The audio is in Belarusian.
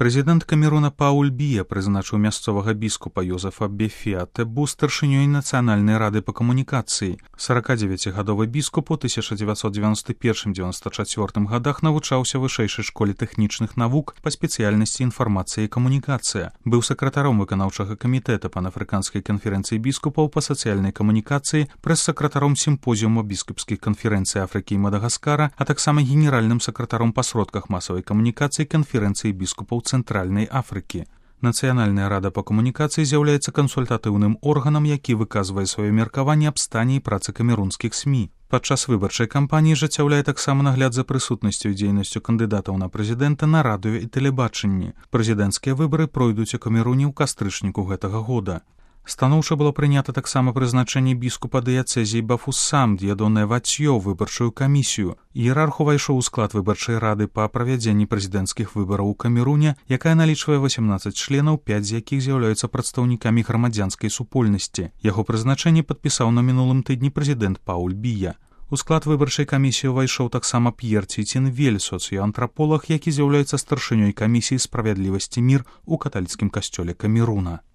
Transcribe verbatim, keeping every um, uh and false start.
Прэзідэнт Камеруна Пауль Бія прызначыў мясцовага біскупа Йозефа Бефіа-Тебу старшынёй Нацыянальнай рады па камунікацыі. сорокадзевяцігадовы біскуп у тысяча дзевяцьсот дзевяносто першым — дзевяносто чацвёртым гадах навучаўся ў вышэйшай школе тэхнічных навук па спецыяльнасці інфармацыя і камунікацыя. Быў сакратаром выканаўчага камітэта панафрыканскай канферэнцыі біскупаў па сацыяльнай камунікацыі, прэс-сакратаром сімпозіума біскупскіх канферэнцый Афрыкі і Мадагаскара, а таксама генеральным сакратаром па сродках масавай камунікацыі канферэнцыі біскупаў Цэнтральнай Афрыкі. Нацыянальная рада па камунікацыі з'яўляецца кансультатыўным органам, які выказвае сваё меркаванне аб стане і працы камерунскіх СМІ. Падчас выбарчай кампаніі ажыццяўляе таксама нагляд за прысутнасцю і дзейнасцю кандыдатаў на прэзідэнта на радыё і тэлебачанні. Прэзідэнцкія выбары пройдуць у Камеруне ў кастрычніку гэтага года. Станоўча было прынята таксама прызначэнне біскупа дыяцэзіі Бафуссам Д'ядонэ Вацьё ў выбарчую камісію. Іерарх увайшоў у склад выбарчай рады па правядзенні прэзідэнцкіх выбараў у Камеруне, якая налічвае васемнаццаць членаў, пяць з якіх з'яўляюцца прадстаўнікамі грамадзянскай супольнасці. Яго прызначэнне падпісаў на мінулым тыдні прэзідэнт Пауль Бія. У склад выбарчай камісіі ўвайшоў таксама П'ер Цінцінвель, соцыяантраполаг, які з'яўляецца старшынёй камісіі «Справядлівасць і мір» у каталіцкім касцёле Камеруна.